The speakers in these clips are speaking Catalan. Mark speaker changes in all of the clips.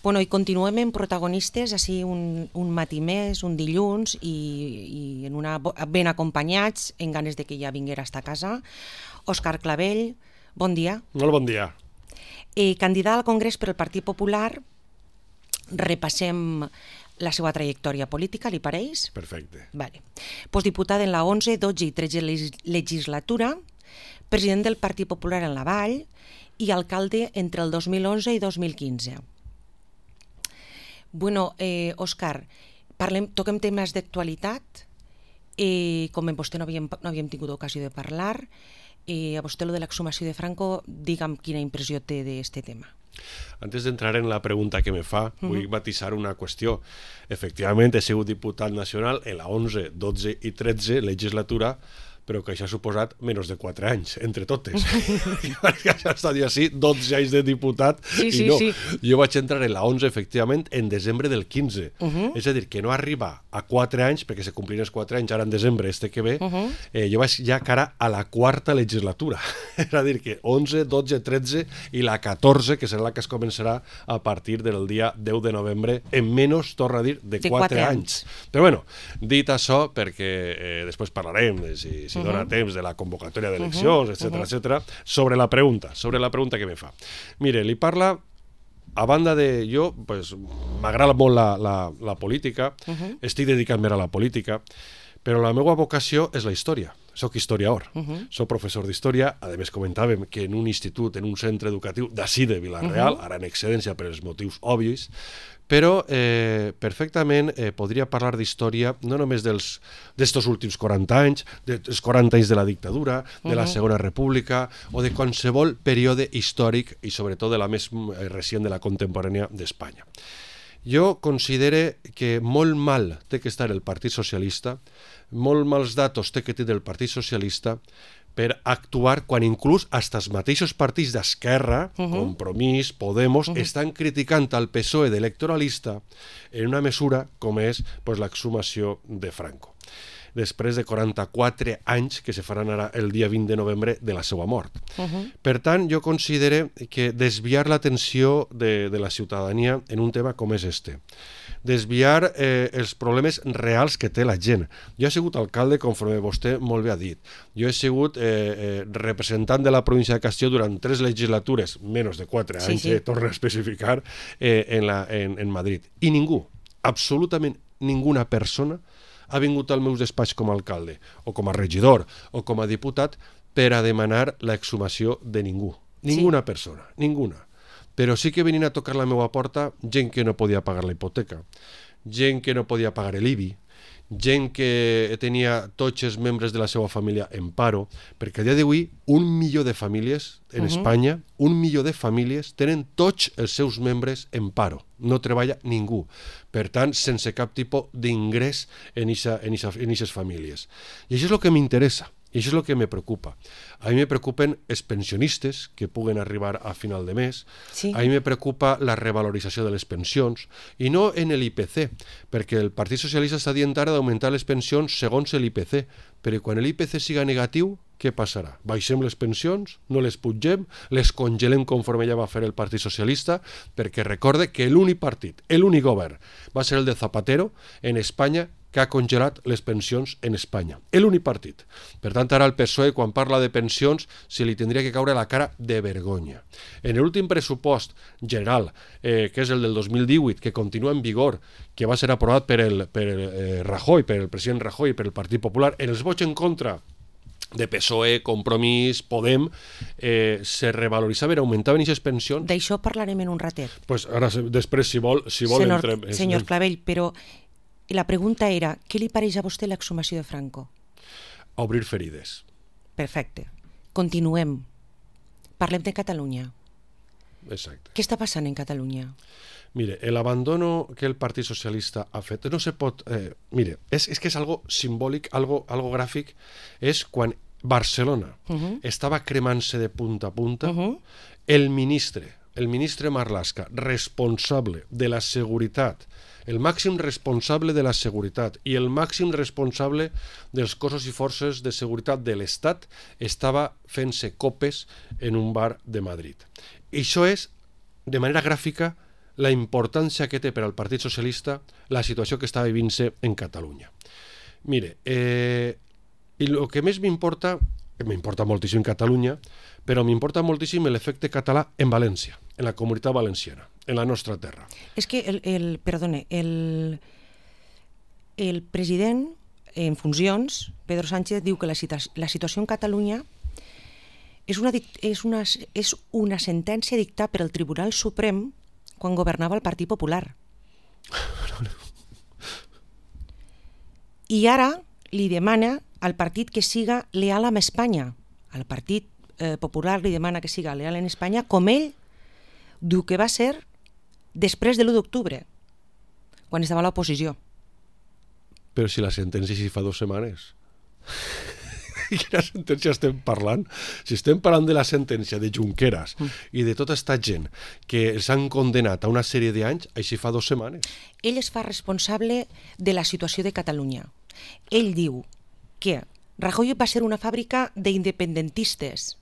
Speaker 1: Bueno, i continuem en protagonistes, així un matí més, un dilluns, i ben acompanyats, en ganes de que ja vinguera a esta casa. Òscar Clavell, bon dia.
Speaker 2: Molt bon dia.
Speaker 1: Candidat al Congrés per el Partit Popular, repassem la seva trajectòria política, li pareix?
Speaker 2: Perfecte.
Speaker 1: Vale. Postdiputat en la 11, 12 i 13 legislatura, president del Partit Popular en la Vall i alcalde entre el 2011 i 2015. Bueno, Òscar, toquem temes d'actualitat. Com amb vostè no havíem tingut ocasió de parlar, a vostè lo de l'exhumació de Franco, digue'm quina impressió té d'este tema.
Speaker 2: Antes d'entrar en la pregunta que me fa, vull matisar una qüestió. Efectivament, he sigut diputat nacional en la 11, 12 i 13 legislatura, però que això ha suposat menys de 4 anys, entre totes. Perquè això està dit així, 12 anys de diputat, i no. Jo vaig entrar en la 11, efectivament, en desembre del 15. És a dir, que no arriba a 4 anys, perquè se complien els 4 anys, ara en desembre, que ve, jo vaig ja cara a la 4a legislatura. És a dir, que 11, 12, 13 i la 14, que serà la que es començarà a partir del dia 10 de novembre, en menys, torna a dir, de 4 anys. Però bueno, dit això, perquè després parlarem de si dona temps de la convocatòria d'eleccions, etc., sobre la pregunta que me fa. Mire, li parla, a banda de jo, m'agrada molt la política, estic dedicant-me a la política, però la meva vocació és la història. Soc historiador, soc professor d'història, a més comentàvem que en un institut, en un centre educatiu d'ací de Vila-real, ara en excedència per els motius òbvios, però perfectament podria parlar d'història no només d'estos últims 40 anys, dels 40 anys de la dictadura, de la Segona República, o de qualsevol període històric i sobretot de la més recent de la contemporània d'Espanya. Jo considero que molt mal té que estar el Partit Socialista, molt mals datos té que tenir el Partit Socialista per actuar quan inclús hasta els mateixos partits d'esquerra, Compromís, Podemos, estan criticant al PSOE d'electoralista en una mesura com és l'exhumació de Franco, després de 44 anys que se faran ara el dia 20 de novembre de la seva mort. Per tant, jo considero que desviar l'atenció de la ciutadania en un tema com és este, desviar els problemes reals que té la gent. Jo he sigut alcalde, conforme vostè molt bé ha dit. Jo he sigut representant de la província de Castelló durant 3 legislatures, menys de 4 anys, torno a especificar, en Madrid. I ningú, absolutament ninguna persona, ha vingut al meu despatx com a alcalde, o com a regidor, o com a diputat, per a demanar l'exhumació de ningú. Ninguna persona, ninguna. Però sí que venien a tocar la meva porta gent que no podia pagar la hipoteca, gent que no podia pagar l'IBI, gent que tenia tots els membres de la seva família en paro, perquè a dia d'avui 1 milió de famílies en Espanya, 1 milió de famílies tenen tots els seus membres en paro, no treballa ningú, per tant sense cap tipus d'ingrés en aquestes famílies. I això és el que m'interessa. I això és el que me preocupa. A mi me preocupen els pensionistes que puguen arribar a final de mes, a mi me preocupa la revalorització de les pensions, i no en l'IPC, perquè el Partit Socialista està dient ara d'augmentar les pensions segons l'IPC, però quan l'IPC siga negatiu, què passarà? Baixem les pensions, no les pugem, les congelem conforme ja va fer el Partit Socialista, perquè recorde que l'únic partit, l'únic govern, va ser el de Zapatero en Espanya, que ha congelat les pensions en Espanya. L'únic partit. Per tant, ara el PSOE, quan parla de pensions, se li tindria que caure la cara de vergonya. En l'últim pressupost general, que és el del 2018, que continua en vigor, que va ser aprovat per el Rajoy, per el president Rajoy i per el Partit Popular, en els vots en contra de PSOE, Compromís, Podem, se revaloritzaven, augmentaven aquestes pensions.
Speaker 1: D'això parlarem en un ratet.
Speaker 2: Pues ara, després, si vol entrem...
Speaker 1: Senyor Clavell, però la pregunta era, què li pareix a vostè l'exhumació de Franco?
Speaker 2: Obrir ferides.
Speaker 1: Perfecte. Continuem. Parlem de Catalunya.
Speaker 2: Exacte.
Speaker 1: Què està passant en Catalunya?
Speaker 2: Mire, l'abandono que el Partit Socialista ha fet, no se pot... mire, és que és algo simbòlic, algo gràfic, és quan Barcelona estava cremant-se de punta a punta, el ministre Marlaska, responsable de la seguretat, el màxim responsable de la seguretat i el màxim responsable dels cossos i forces de seguretat de l'Estat estava fent-se copes en un bar de Madrid. I això és, de manera gràfica, la importància que té per al Partit Socialista la situació que està vivint-se en Catalunya. Mire, i el que més m'importa moltíssim Catalunya, però m'importa moltíssim l'efecte català en València, en la comunitat valenciana, en la nostra terra.
Speaker 1: És que, perdone, el president en funcions, Pedro Sánchez, diu que la situació en Catalunya és una sentència dictada per el Tribunal Suprem quan governava el Partit Popular. I ara li demana al partit que siga leal amb Espanya. Al Partit Popular li demana que siga leal en Espanya, com ell diu que va ser després de l'1 d'octubre, quan estava a l'oposició.
Speaker 2: Però si la sentència sí fa 2 setmanes. Quina sentència estem parlant? Si estem parlant de la sentència de Junqueras i de tota aquesta gent que s'han condenat a una sèrie d'anys, així fa 2 setmanes.
Speaker 1: Ell es fa responsable de la situació de Catalunya. Ell diu que Rajoy va ser una fàbrica d'independentistes.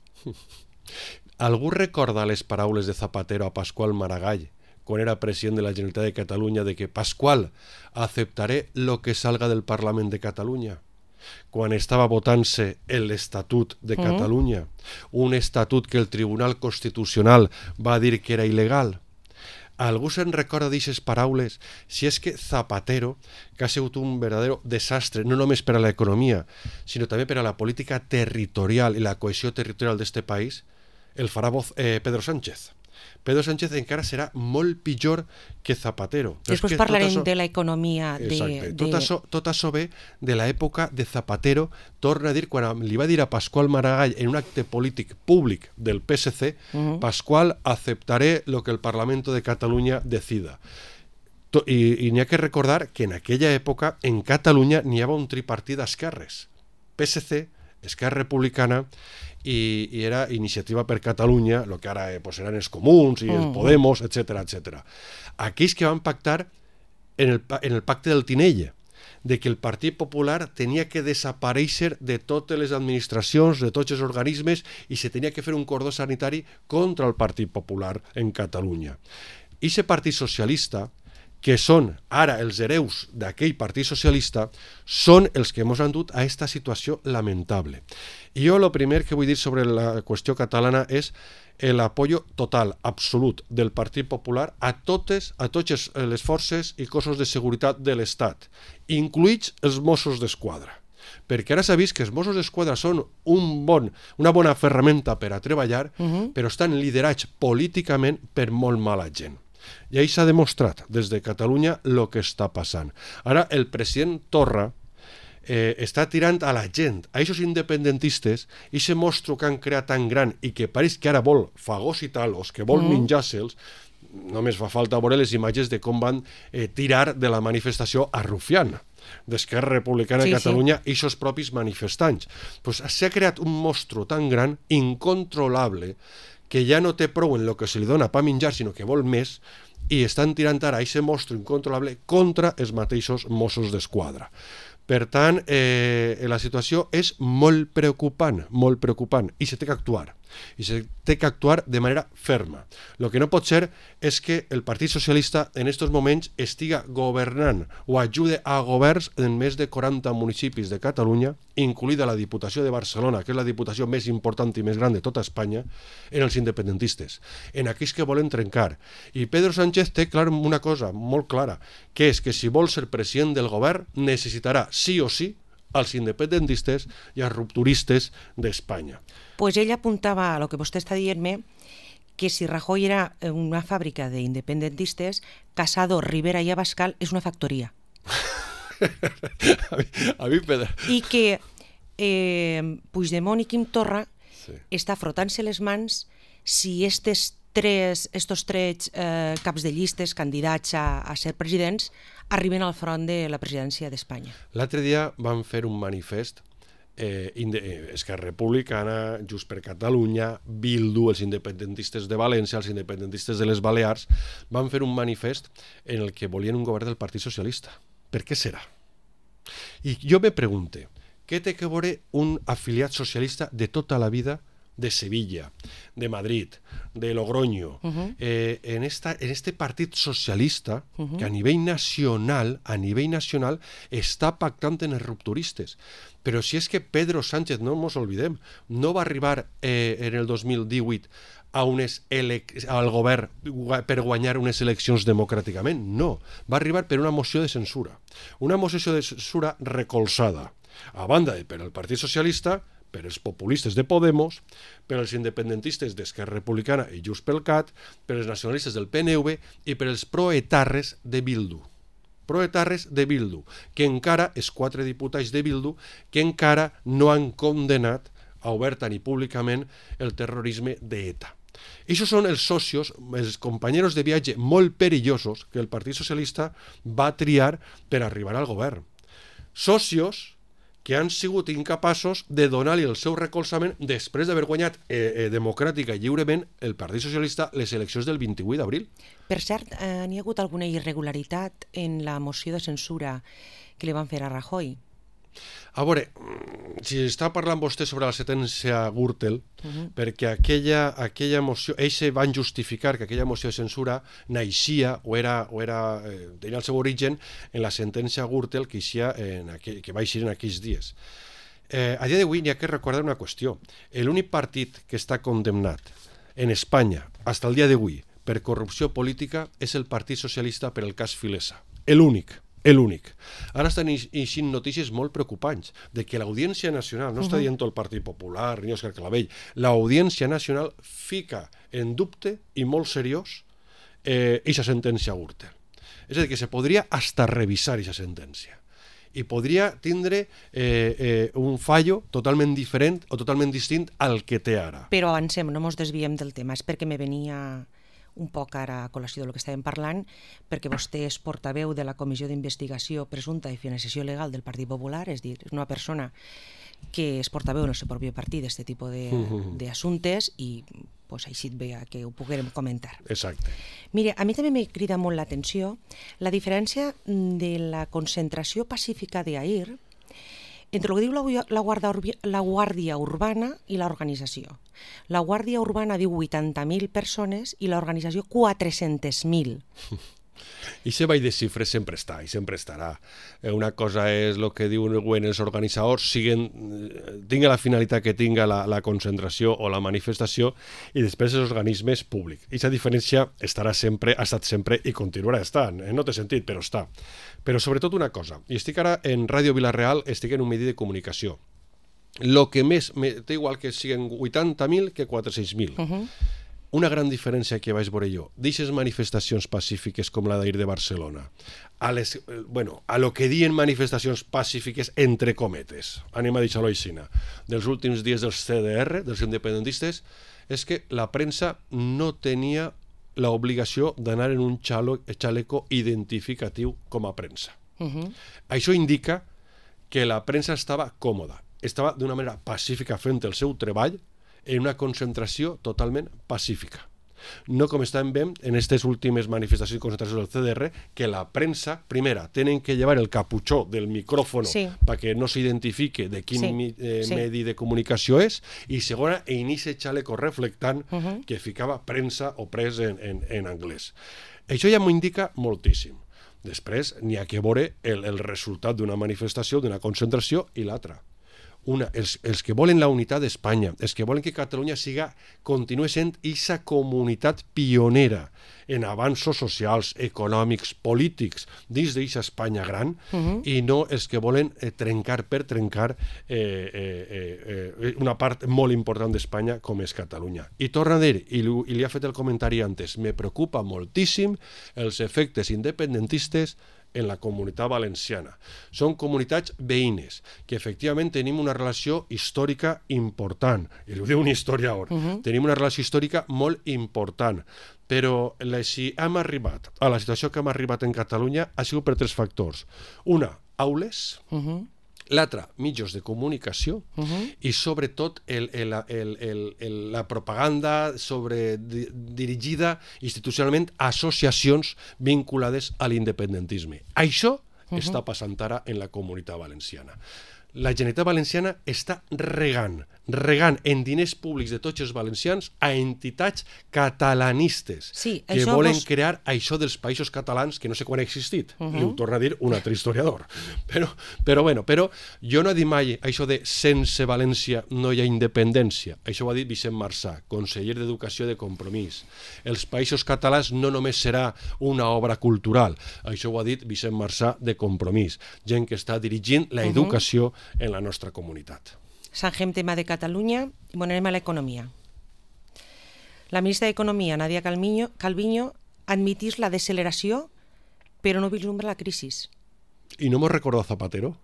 Speaker 2: Algú recorda les paraules de Zapatero a Pasqual Maragall quan era president de la Generalitat de Catalunya de que Pasqual, aceptaré lo que salga del Parlament de Catalunya? Quan estava votant-se l'Estatut de Catalunya, un estatut que el Tribunal Constitucional va dir que era il·legal. Algú se'n recorda d'aixes paraules? Si és que Zapatero, que ha sigut un verdadero desastre, no només per a l'economia, sinó també per a la política territorial i la cohesió territorial d'este país, el farà Pedro Sánchez. Pedro Sánchez encara serà molt pitjor que Zapatero.
Speaker 1: Després parlarem de l'economia.
Speaker 2: Exacte. Tot això ve de l'època de Zapatero. Torna a dir, quan li va dir a Pasqual Maragall en un acte polític públic del PSC, Pasqual, aceptaré lo que el Parlamento de Catalunya decida. I n'hi ha que recordar que en aquella època en Catalunya n'hi havia un tripartit d'esquerres. PSC, Esquerra Republicana i era Iniciativa per Catalunya, el que ara eren els Comuns i els Podemos, etc. Aquells que van pactar en el pacte del Tinell, de que el Partit Popular tenia que desaparèixer de totes les administracions, de tots els organismes, i se tenia que fer un cordó sanitari contra el Partit Popular en Catalunya. I aquest Partit Socialista, que són ara els hereus d'aquell Partit Socialista, són els que ens han dut a aquesta situació lamentable. I jo el primer que vull dir sobre la qüestió catalana és l'apoyo total, absolut, del Partit Popular a totes les forces i cossos de seguretat de l'Estat, incluïts els Mossos d'Esquadra. Perquè ara s'ha vist que els Mossos d'Esquadra són una bona ferramenta per a treballar, però estan liderats políticament per molt mala gent. I ahí s'ha demostrat des de Catalunya el que està passant. Ara el president Torra està tirant a la gent, a aquests independentistes, i aquest mostro que han creat tan gran i que pareix que ara vol fagocitar-los, que vol menjar-se'ls. Només fa falta veure les imatges de com van tirar de la manifestació a Rufián, d'Esquerra Republicana de Catalunya, i aquests propis manifestants. S'ha creat un mostro tan gran, incontrolable, que ja no té prou en el que se li dona per menjar, sinó que vol més, i estan tirant ara aquest monstre incontrolable contra els mateixos Mossos d'Esquadra. Per tant, la situació és molt preocupant, i s'ha d'actuar. I s'ha d'actuar de manera ferma. El que no pot ser és que el Partit Socialista en aquests moments estiga governant o ajude a governs en més de 40 municipis de Catalunya, incluïda la Diputació de Barcelona, que és la diputació més important i més gran de tota Espanya, en els independentistes, en aquells que volen trencar. I Pedro Sánchez té una cosa molt clara, que és que si vol ser president del govern necessitarà sí o sí als independentistes i als rupturistes d'Espanya.
Speaker 1: Pues ell apuntava a lo que vostè està dient-me, que si Rajoy era una fàbrica d'independentistes, Casado, Rivera i Abascal és una factoria.
Speaker 2: A mi, Pedro.
Speaker 1: I que Puigdemont i Quim Torra està frotant-se les mans si estos tres caps de llistes candidats a ser presidents arriben al front de la presidència d'Espanya.
Speaker 2: L'altre dia van fer un manifest Esquerra Republicana, Junts per Catalunya, Bildu, els independentistes de València, els independentistes de les Balears, van fer un manifest en el que volien un govern del Partit Socialista. Per què serà? I jo me pregunto, què té que veure un afiliat socialista de tota la vida de Sevilla, de Madrid, de Logroño, en este partit socialista que a nivell nacional està pactant en els rupturistes. Però si és que Pedro Sánchez, no ens oblidem, no va arribar en el 2018 al govern per guanyar unes eleccions democràticament, no, va arribar per una moció de censura recolzada a banda per el Partit Socialista, per els populistes de Podemos, per els independentistes d'Esquerra Republicana i Junts pel Cat, per els nacionalistes del PNV i per els proetarres de Bildu. Que encara, els 4 diputats de Bildu, que encara no han condemnat oberta ni públicament el terrorisme d'ETA. Aquests són els socios, els companys de viatge molt perillosos que el Partit Socialista va triar per arribar al govern. Socios que han sigut incapaços de donar-li el seu recolzament després d'haver guanyat democràtica i lliurement el Partit Socialista les eleccions del 28 d'abril.
Speaker 1: Per cert, n'hi ha hagut alguna irregularitat en la moció de censura que li van fer a Rajoy?
Speaker 2: A veure, si està parlant vostè sobre la sentència Gürtel, perquè aquella moció, ells van justificar que aquella moció de censura naixia o tenia el seu origen en la sentència Gürtel que va eixir en aquells dies. A dia d'avui n'hi ha que recordar una qüestió. L'únic partit que està condemnat en Espanya, fins al dia d'avui, per corrupció política és el Partit Socialista per el cas Filesa. L'únic. Ara estan eixint notícies molt preocupants de que l'Audiència Nacional, no està dient el Partit Popular ni Òscar Clavell, l'Audiència Nacional fica en dubte i molt seriós aquesta sentència Gürtel. És a dir, que se podria hasta revisar aquesta sentència i podria tindre un fallo totalment diferent o totalment distint al que té ara.
Speaker 1: Però avancem, no ens desviem del tema, és perquè me venia un poc ara a col·lació del que estàvem parlant, perquè vostè és portaveu de la Comissió d'Investigació Presumpta i Financiació Legal del Partit Popular, és a dir, és una persona que és portaveu en el seu propi partit d'aquest tipus d'assumptes i així et veia que ho poguérem comentar.
Speaker 2: Exacte.
Speaker 1: Mira, a mi també m'ha cridat molt l'atenció la diferència de la concentració pacífica d'Ahir entre el que diu la Guàrdia Urbana i l'organització. La Guàrdia Urbana diu 80.000 persones i l'organització 400.000.
Speaker 2: I aquest ball de xifres sempre està i sempre estarà. Una cosa és el que diuen els organitzadors, tinga la finalitat que tinga la concentració o la manifestació, i després els organismes públics. I aquesta diferència estarà sempre, ha estat sempre i continuarà estant. No té sentit, però està. Però sobretot una cosa, i estic ara en Ràdio Vila-real, estic en un medi de comunicació. El que més, té igual que siguin 80.000 que 400.000. Una gran diferència que vaig veure jo, d'aquestes manifestacions pacífiques com la d'ahir de Barcelona, a lo que diuen manifestacions pacífiques entre cometes, anem a deixar-ho així, dels últims dies dels CDR, dels independentistes, és que la premsa no tenia l'obligació d'anar en un xaleco identificatiu com a premsa. Això indica que la premsa estava còmoda, estava d'una manera pacífica fent el seu treball en una concentració totalment pacífica. No com estàvem veient en aquestes últimes manifestacions i concentracions del CDR, que la premsa, primera, tenen que llevar el caputxó del micròfon perquè no s'identifique de quin medi de comunicació és, i segona, en aquest xaleco reflectant que ficava premsa o pres en anglès. Això ja m'ho indica moltíssim. Després n'hi ha que veure el resultat d'una manifestació, d'una concentració i l'altra. Els que volen la unitat d'Espanya, els que volen que Catalunya continuï sent aquesta comunitat pionera en avanços socials, econòmics, polítics dins d'aquesta Espanya gran, i no els que volen trencar per trencar una part molt important d'Espanya com és Catalunya. I torna a dir, i li ha fet el comentari antes, me preocupa moltíssim els efectes independentistes en la comunitat valenciana. Són comunitats veïnes, que efectivament tenim una relació històrica important, i ho diu un historiador, tenim una relació històrica molt important, però si hem arribat a la situació que hem arribat en Catalunya ha sigut per 3 factors. Una, aules, l'altre, mitjans de comunicació, i sobretot la propaganda dirigida institucionalment a associacions vinculades a l'independentisme. Això està passant ara en la comunitat valenciana. La Generalitat Valenciana està regant regant en diners públics de tots els valencians a entitats catalanistes que volen crear això dels països catalans que no sé quan ha existit. Li ho torna a dir un altre historiador. Però jo no he dit mai això de sense València no hi ha independència. Això ho ha dit Vicent Marsà, conseller d'Educació de Compromís. Els països catalans no només serà una obra cultural. Això ho ha dit Vicent Marsà de Compromís, gent que està dirigint l'educació en la nostra comunitat.
Speaker 1: Sangem tema de Catalunya i anem a l'economia. La ministra d'Economia, Nadia Calviño, admitís la deceleració, però no vislumbra la crisi.
Speaker 2: ¿Y no hemos recordado a Zapatero?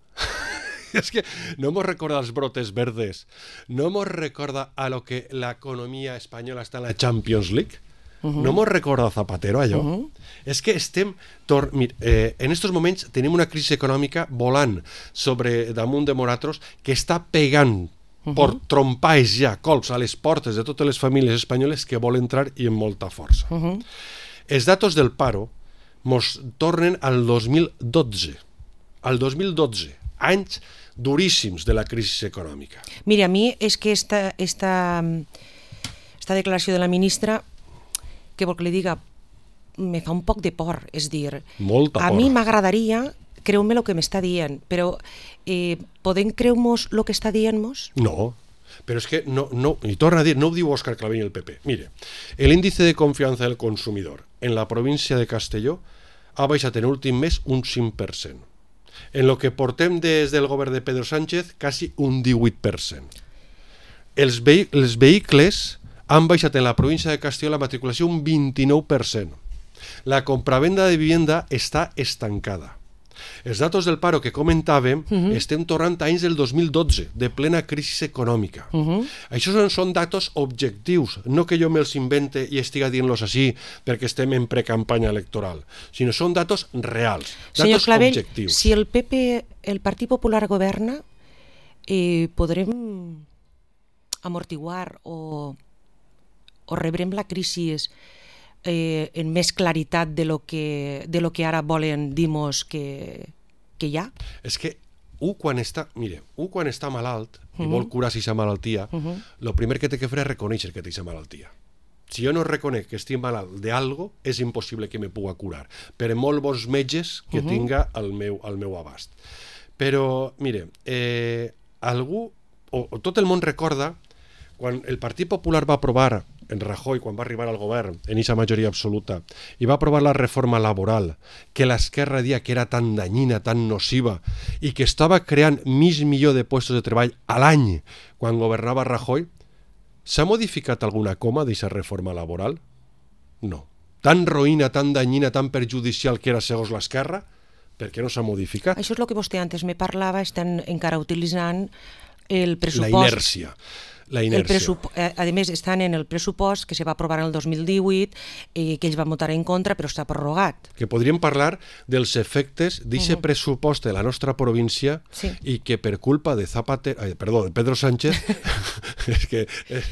Speaker 2: Es que no hemos recordado los brotes verdes, no hemos recordado a lo que la economía española está en la Champions League. No hemos recordado Zapatero allò. És que estem... en estos moments tenim una crisi econòmica volant damunt de nosaltres que està pegant per trompalls ja, colps a les portes de totes les famílies espanyoles que volen entrar i amb molta força. Els datos del paro mos tornen al 2012. Al 2012, anys duríssims de la crisi econòmica.
Speaker 1: Mira, a mi és que esta declaració de la ministra, que vol que li diga, me fa un poc de por, és dir,
Speaker 2: molta por.
Speaker 1: A mi m'agradaria creu-me el que m'està dient, però podem creu-nos el que està dient-nos?
Speaker 2: No, però és que no, i torna a dir, no ho diu Òscar Clavell i el PP. Mire, el índice de confianza del consumidor en la província de Castelló ha baixat en l'últim mes un 5%. En lo que portem des del govern de Pedro Sánchez, quasi un 18%. Els vehicles han baixat en la província de Castelló la matriculació un 29%. La compravenda de vivienda està estancada. Els datos del paro que comentàvem estem tornant a anys del 2012, de plena crisi econòmica. Això són datos objectius, no que jo me'ls invente i estiga dient-los així perquè estem en precampanya electoral, sinó són datos reals, datos objectius.
Speaker 1: Si el PP, el Partit Popular governa, podrem amortiguar o rebrem la crisi en més claritat de lo que ara volen dir-nos que hi ha?
Speaker 2: És que quan està malalt i vol curar aquesta malaltia, el primer que té que fer és reconèixer que té aquesta malaltia. Si jo no reconec que estic malalt d'algo, és impossible que me puga curar, per molt bons metges que tinga al meu abast. Però, mire, tot el món recorda quan el Partit Popular va aprovar, en Rajoy, quan va arribar al govern, en aquesta majoria absoluta, i va aprovar la reforma laboral, que l'esquerra dia que era tan danyina, tan nociva, i que estava creant mig milió de puestos de treball a l'any quan governava Rajoy, s'ha modificat alguna coma d'aquesta reforma laboral? No. Tan roïna, tan danyina, tan perjudicial que era segons l'esquerra, per què no s'ha modificat?
Speaker 1: Això és el que vostè antes me parlava, estan encara utilitzant el pressupost...
Speaker 2: La inèrcia.
Speaker 1: A més, estan en el pressupost que se va aprovar en el 2018, que ells van votar en contra, però està prorrogat.
Speaker 2: Que podríem parlar dels efectes d'aquest pressupost de la nostra província i que per culpa de Pedro Sánchez és que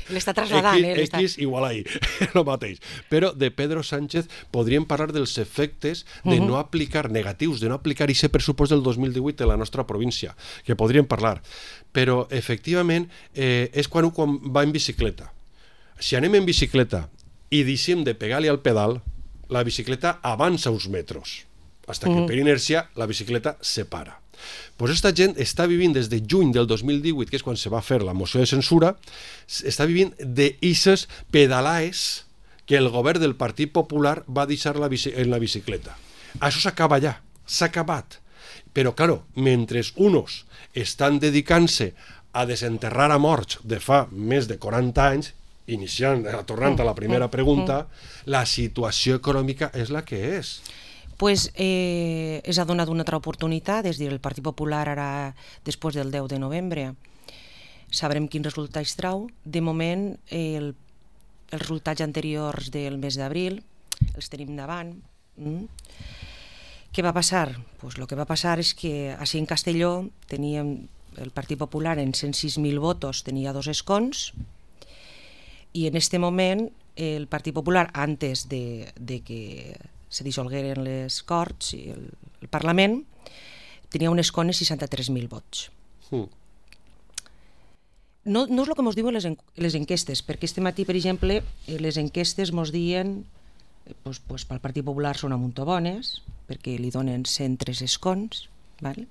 Speaker 1: l'està trasladant,
Speaker 2: X igual ahí, el mateix. Però de Pedro Sánchez podríem parlar dels efectes de no aplicar, negatius, de no aplicar aquest pressupost del 2018 de la nostra província, que podríem parlar. Però, efectivament, és quan va en bicicleta. Si anem en bicicleta i deixem de pegar-li al pedal, la bicicleta avança uns metres, fins que per inèrcia la bicicleta se para. Pues esta gent està vivint des de juny del 2018, que és quan se va fer la moció de censura, està vivint d'ixes pedalaes que el govern del Partit Popular va deixar en la bicicleta. Això s'acaba allà, s'ha acabat. Però, claro, mentre uns estan dedicant-se a desenterrar a morts de fa més de 40 anys, tornant a la primera pregunta, la situació econòmica és la que és.
Speaker 1: Pues s'ha donat una altra oportunitat, és a dir, el Partit Popular ara, després del 10 de novembre, sabrem quins resultats trau. De moment, els resultats anteriors del mes d'abril els tenim davant. Què va passar? Pues lo que va passar és que així en Castelló teníem el Partit Popular en 106.000 votos, tenia 2 escons, i en aquest moment el Partit Popular, antes de que se dissolgueren les Corts i el Parlament, tenia un escó de 63.000 vots. no és el que ens diuen les enquestes, perquè este matí, per exemple, les enquestes ens diuen pel Partit Popular són a munt bones, perquè li donen 103 escons, val?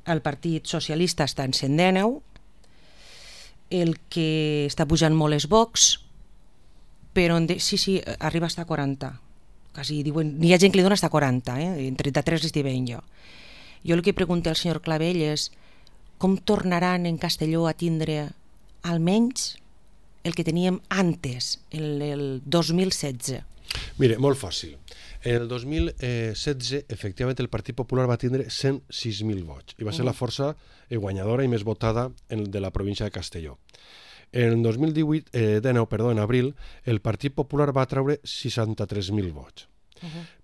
Speaker 1: El Partit Socialista està en 119, el que està pujant molt és Vox, però sí, arriba a estar a 40, quasi diuen, n'hi ha gent que li dona hasta 40, en 33 estic veient jo. Jo el que pregunto al senyor Clavell és com tornaran en Castelló a tindre almenys el que teníem antes, el 2016.
Speaker 2: Mire, molt fàcil. En el 2016, efectivament, el Partit Popular va tindre 106.000 vots i va ser la força guanyadora i més votada de la província de Castelló. En el 2019, en abril, el Partit Popular va treure 63.000 vots.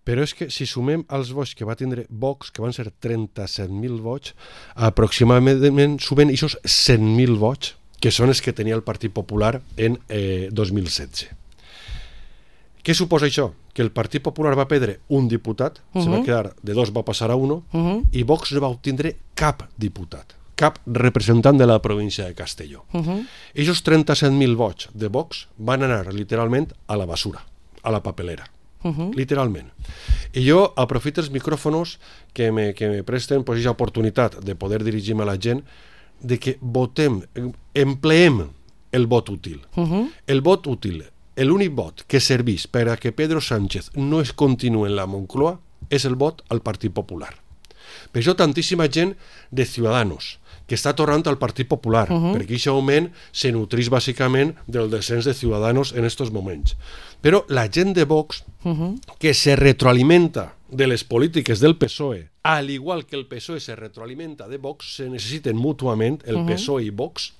Speaker 2: Però és que si sumem els vots que va tindre Vox, que van ser 37.000 vots, aproximadament sumen aquests 100.000 vots, que són els que tenia el Partit Popular en 2016. Què suposa això? Que el Partit Popular va perdre un diputat, se va quedar de 2, va passar a 1, i Vox no va obtindre cap diputat, cap representant de la província de Castelló. Aquests 37.000 vots de Vox van anar literalment a la basura, a la papelera. Literalment. I jo aprofito els micròfonos que me presten aquesta oportunitat de poder dirigir-me a la gent, de que votem, empleem el vot útil. El vot útil, l'únic vot que serveix per a que Pedro Sánchez no es continuï en la Moncloa és el vot al Partit Popular. Per això tantíssima gent de Ciudadanos que està tornant al Partit Popular, perquè aquest augment se nutreix bàsicament del descens de Ciudadanos en aquests moments. Però la gent de Vox, que se retroalimenta de les polítiques del PSOE, al igual que el PSOE se retroalimenta de Vox, se necessiten mútuament, el PSOE i Vox,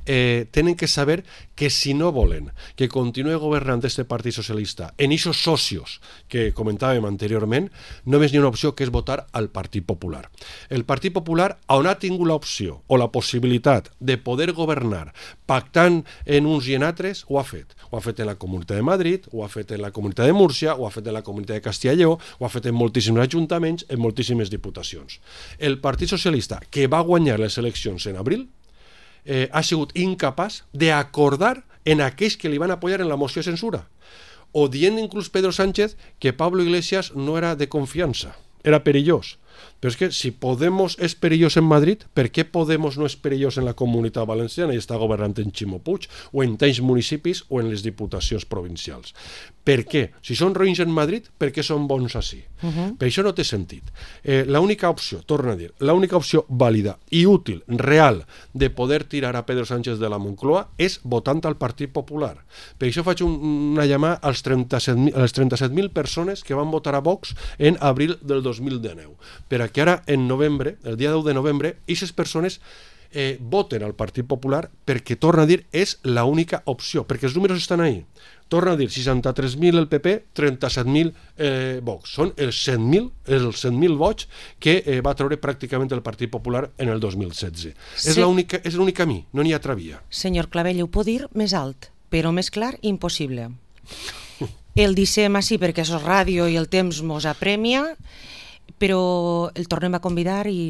Speaker 2: tenen que saber que si no volen que continuï governant este Partit Socialista en aquests socios que comentàvem anteriorment, només hi ha una opció, que és votar al Partit Popular. El Partit Popular, on ha tingut l'opció o la possibilitat de poder governar pactant en uns i en altres, ho ha fet. Ho ha fet en la Comunitat de Madrid, ho ha fet en la Comunitat de Múrcia, ho ha fet en la Comunitat de Castilla y Lleó, ho ha fet en moltíssims ajuntaments, en moltíssimes diputacions. El Partit Socialista, que va guanyar les eleccions en abril, ha sigut incapaç d'acordar en aquells que li van apoyar en la moció de censura, o dient inclús Pedro Sánchez que Pablo Iglesias no era de confiança, era perillós. Però és que si Podemos és perillós en Madrid, per què Podemos no és perillós en la Comunitat Valenciana i està governant en Ximo Puig, o en tants municipis o en les diputacions provincials? Per què? Si són roïns en Madrid, per què són bons així? Per això no té sentit. L'única opció, torno a dir, l'única opció vàlida i útil, real, de poder tirar a Pedro Sánchez de la Moncloa és votant al Partit Popular. Per això faig una llamada a les 37.000 persones que van votar a Vox en abril del 2019, per a que ara en novembre, el dia 10 de novembre, aquestes persones voten al Partit Popular, perquè, torna a dir, és l'única opció, perquè els números estan ahí. Torna a dir, 63.000 el PP, 37.000 Vox. Són els 100.000 vots que va treure pràcticament el Partit Popular en el 2016. Sí. És l'únic camí, no n'hi ha altra via.
Speaker 1: Senyor Clavell, ho pot dir més alt, però més clar, impossible. El dissem així perquè això és ràdio i el temps mos apremia, però el tornem a convidar i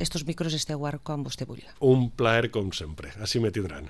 Speaker 1: estos micros esteu quan vostè vulgui.
Speaker 2: Un plaer com sempre, així me tindran.